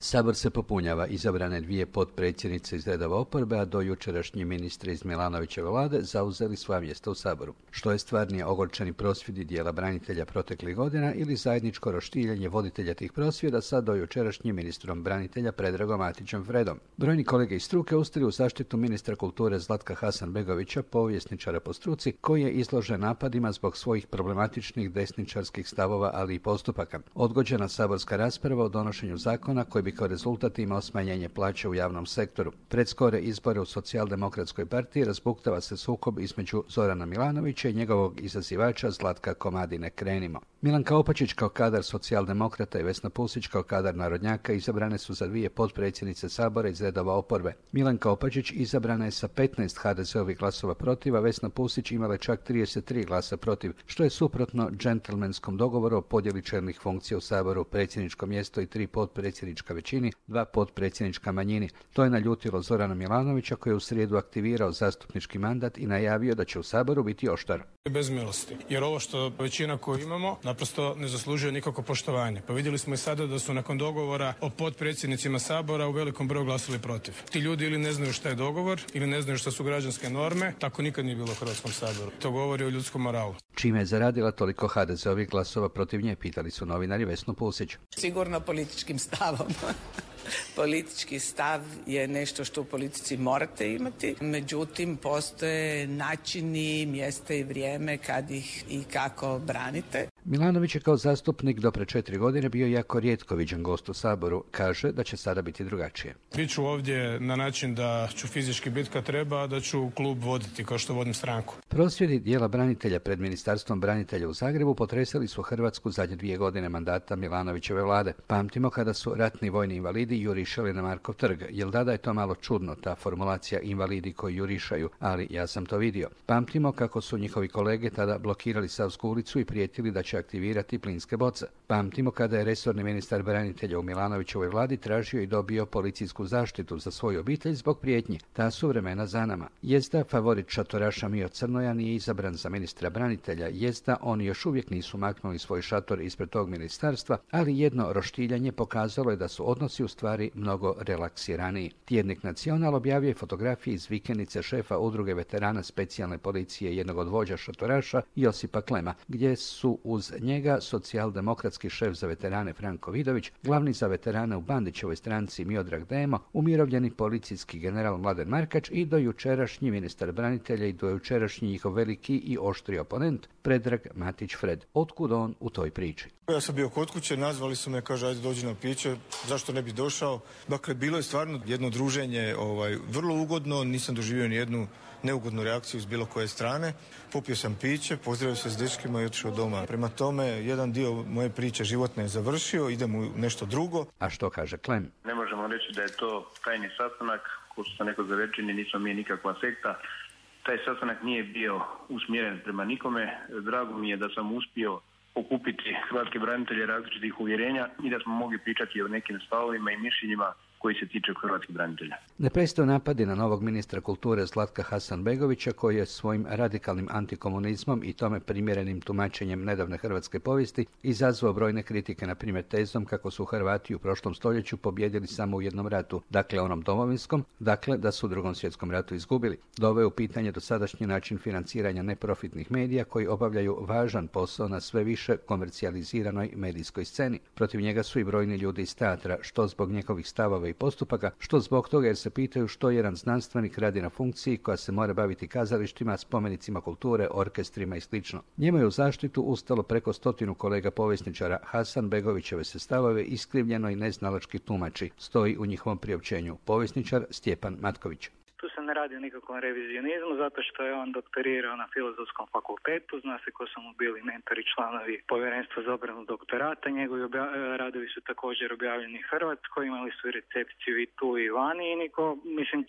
Sabor se popunjava, izabrane dvije potpredsjednice iz redova oporbe, a do jučerašnji ministri iz Milanovićeve vlade zauzeli svoja mjesta u Saboru. Što je stvarnije, ogorčeni prosvjedi dijela branitelja proteklih godina ili zajedničko roštiljanje voditelja tih prosvjeda sa do jučerašnjim ministrom branitelja Predragom Matićem Fredom. Brojni kolege iz struke ustali u zaštitu ministra kulture Zlatka Hasanbegovića, povjesničara po struci, koji je izložen napadima zbog svojih problematičnih desničarskih stavova, ali i postupaka. Odgođena saborska rasprava o donošenju zakona koji bi kao rezultat imao smanjenje plaće u javnom sektoru. Pred skore izbore u Socijaldemokratskoj partiji razbuktava se sukob između Zorana Milanovića i njegovog izazivača Zlatka Komadine. Krenimo. Milanka Opačić kao kadar socijaldemokrata i Vesna Pusić kao kadar narodnjaka izabrane su za dvije potpredsjednice Sabora iz redova oporbe. Milanka Opačić izabrana je sa 15 HDZ-ovih glasova protiv, a Vesna Pusić imala čak 33 glasa protiv, što je suprotno džentlmenskom dogovoru o podjeli čelnih funkcija u Saboru, predsjedničko mjesto i 3 potpredsjednička većini, 2 potpredsjednička manjini. To je naljutilo Zorana Milanovića, koji je u srijedu aktivirao zastupnički mandat i najavio da će u Saboru biti oštar. Bez milosti, jer ovo što većina koju imamo naprosto ne zaslužuje nikako poštovanje. Pa vidjeli smo i sada da su nakon dogovora o potpredsjednicima Sabora u velikom broju glasili protiv. Ti ljudi ili ne znaju šta je dogovor, ili ne znaju šta su građanske norme, tako nikad nije bilo u Hrvatskom saboru. To govori o ljudskom moralu. Čime je zaradila toliko HDZ-ovih glasova protiv nje, pitali su novinari Vesnu Pusić. Sigurno političkim stavom. Politički stav je nešto što u politici morate imati, međutim postoje načini, mjesta i vrijeme kad ih i kako branite. Milanović je kao zastupnik do pre 4 godine bio jako rijetko viđen gost u Saboru. Kaže da će sada biti drugačije. Biću ovdje na način da ću fizički biti kad treba, a da ću klub voditi kao što vodim stranku. Prosvjedi dijela branitelja pred Ministarstvom branitelja u Zagrebu potresali su Hrvatsku zadnje 2 godine mandata Milanovićeve vlade. Pamtimo kada su ratni vojni invalidi jurišali na Markov trg. Jel tada je to malo čudno, ta formulacija invalidi koji jurišaju, ali ja sam to vidio. Pamtimo kako su njihovi kolege tada blokirali Savsku ulicu i prijetili da će aktivirati plinske boce. Pamtimo kada je resorni ministar branitelja u Milanovićevoj vladi tražio i dobio policijsku zaštitu za svoju obitelj zbog prijetnji. Ta su vremena za nama. Jezda favorit šatoraša Mio Crnoja nije izabran za ministra branitelja, jezda oni još uvijek nisu maknuli svoj šator ispred tog ministarstva, ali jedno roštiljanje pokazalo je da su odnosi u stvari mnogo relaksiraniji. Tjednik Nacional objavio fotografije iz vikendice šefa udruge veterana specijalne policije, jednog od vođa šatoraša, Josipa Klema, gdje su uz njega socijaldemokratski šef za veterane Franko Vidović, glavni za veterane u Bandićevoj stranci Miodrag Demo, umirovljeni policijski general Mladen Markač i dojučerašnji ministar branitelja i dojučerašnji njihov veliki i oštri oponent Predrag Matić Fred. Otkud on u toj priči? Ja sam bio kod kuće, nazvali su me, kaže ajde dođi na piće, zašto ne bi došao. Dakle, bilo je stvarno jedno druženje vrlo ugodno, nisam doživio ni jednu neugodnu reakciju s bilo koje strane. Popio sam piće, pozdravio se s dečkima i otišao doma. Prema tome, jedan dio moje priče životne je završio, idem u nešto drugo. A što kaže Klem? Ne možemo reći da je to tajni sastanak, ko što sam neko za rečeni, nismo mi nikakva sekta. Taj sastanak nije bio usmjeren prema nikome. Drago mi je da sam uspio okupiti hrvatske branitelje različitih uvjerenja i da smo mogli pričati o nekim stavovima i mišljenjima koji se tiče hrvatskih branitelja. Ne prestaju napadi na novog ministra kulture Zlatka Hasanbegovića, koji je svojim radikalnim antikomunizmom i tome primjerenim tumačenjem nedavne hrvatske povijesti izazvao brojne kritike, na primjer tezom kako su Hrvati u prošlom stoljeću pobjedili samo u jednom ratu, dakle onom domovinskom, dakle da su u Drugom svjetskom ratu izgubili. Doveo u pitanje dosadašnji način financiranja neprofitnih medija koji obavljaju važan posao na sve više komercijaliziranoj medijskoj sceni. Protiv njega su i brojni ljudi iz teatra, što zbog njegovih stavova i postupaka, što zbog toga jer se pitaju što jedan znanstvenik radi na funkciji koja se mora baviti kazalištima, spomenicima kulture, orkestrima i sl. Njemu je u zaštitu ustalo preko 100 kolega povjesničara. Hasanbegovićeve se stavove iskrivljeno i neznalački tumači, stoji u njihovom priopćenju povjesničar Stjepan Matković. Tu se ne radi o nikakvom revizionizmu, zato što je on doktorirao na Filozofskom fakultetu, zna se ko su mu bili mentori, članovi povjerenstva za obranu doktorata, njegovi radovi su također objavljeni u Hrvatskoj, imali su recepciju i tu i vani i niko,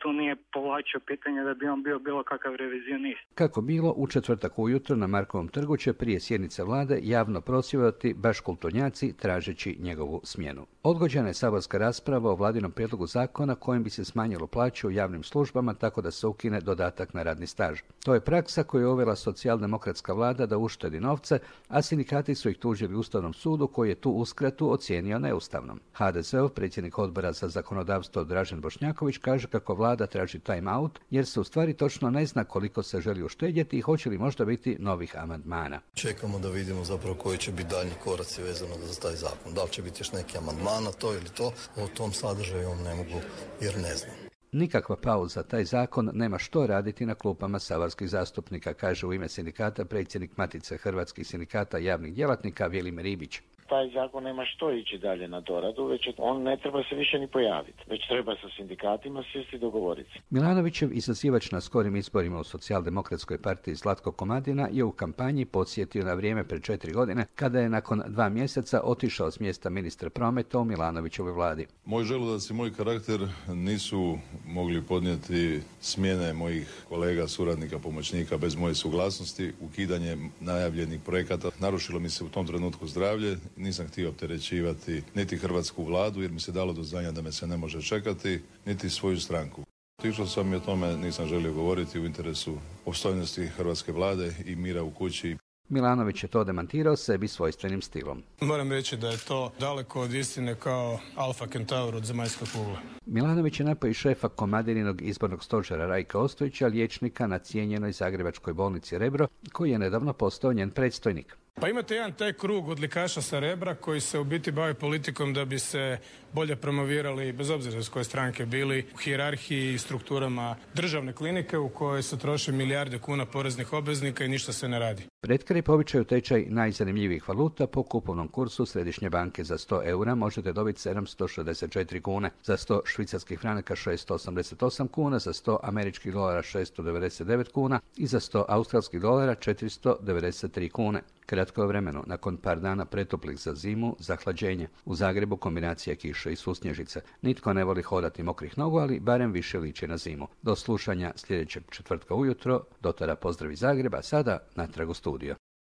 tu nije povlačio pitanje da bi on bio bilo kakav revizionist. Kako bilo, u četvrtak ujutro na Markovom trgu će prije sjednice vlade javno prosvjedovati baš kulturnjaci tražeći njegovu smjenu. Odgođena je saborska rasprava o vladinom prijedlogu zakona kojim bi se smanjilo plaće u javnim službama, tako tako da se ukine dodatak na radni staž. To je praksa koju je uvela socijaldemokratska vlada da uštedi novce, a sindikati su ih tužili Ustavnom sudu koji je tu uskratu ocijenio neustavnom. HDZ-ov predsjednik odbora za zakonodavstvo Dražen Bošnjaković kaže kako vlada traži time out jer se u stvari točno ne zna koliko se želi uštedjeti i hoće li možda biti novih amandmana. Čekamo da vidimo zapravo koji će biti daljnji koraci vezano za taj zakon. Da li će biti još neki amandman na to ili to, o tom sadržaju ne mogu jer ne znam. Nikakva pauza, taj zakon nema što raditi na klupama saborskih zastupnika, kaže u ime sindikata predsjednik Matice hrvatskih sindikata javnih djelatnika Velim Ribić. Taj zakon nema što ići dalje na doradu, već on ne treba se više ni pojaviti, već treba sa sindikatima sjesti i dogovoriti. Milanovićev izazivač na skorim izborima u Socijaldemokratskoj partiji Zlatko Komadina je u kampanji podsjetio na vrijeme pred 4 godine kada je nakon 2 mjeseca otišao s mjesta ministra prometa u Milanovićevoj vladi. Moj želudac i moj karakter nisu mogli podnijeti smjene mojih kolega, suradnika, pomoćnika bez moje suglasnosti, ukidanje najavljenih projekata. Narušilo mi se u tom trenutku zdravlje. Nisam htio opterećivati niti hrvatsku vladu jer mi se dalo do znanja da me se ne može čekati, niti svoju stranku. Išao sam i o tome nisam želio govoriti u interesu opstojnosti hrvatske vlade i mira u kući. Milanović je to demantirao sebi svojstvenim stilom. Moram reći da je to daleko od istine kao Alfa Kentaur od zemaljske kugle. Milanović je napao i šefa Komadininog izbornog stožera Rajka Ostojića, liječnika na cijenjenoj zagrebačkoj bolnici Rebro, koji je nedavno postao njen predstojnik. Pa imate jedan taj krug odlikaša sa Rebra koji se u biti bave politikom da bi se bolje promovirali, bez obzira iz koje stranke bili, u hijerarhiji i strukturama državne klinike u kojoj se troše milijarde kuna poreznih obveznika i ništa se ne radi. Pred kraj povećaju tečaj najzanimljivijih valuta. Po kupovnom kursu Središnje banke za 100 eura možete dobiti 764 kune, za 100 švicarskih franaka 688 kuna, za 100 američkih dolara 699 kuna i za 100 australskih dolara 493 kune. Kratko vremenu, nakon par dana pretoplih za zimu, zahlađenje. U Zagrebu kombinacija kiše i susnježice. Nitko ne voli hodati mokrih nogu, ali barem više liči na zimu. Do slušanja sljedećeg četvrtka ujutro. Do tada pozdrav iz Zagreba, sada natrag u studio.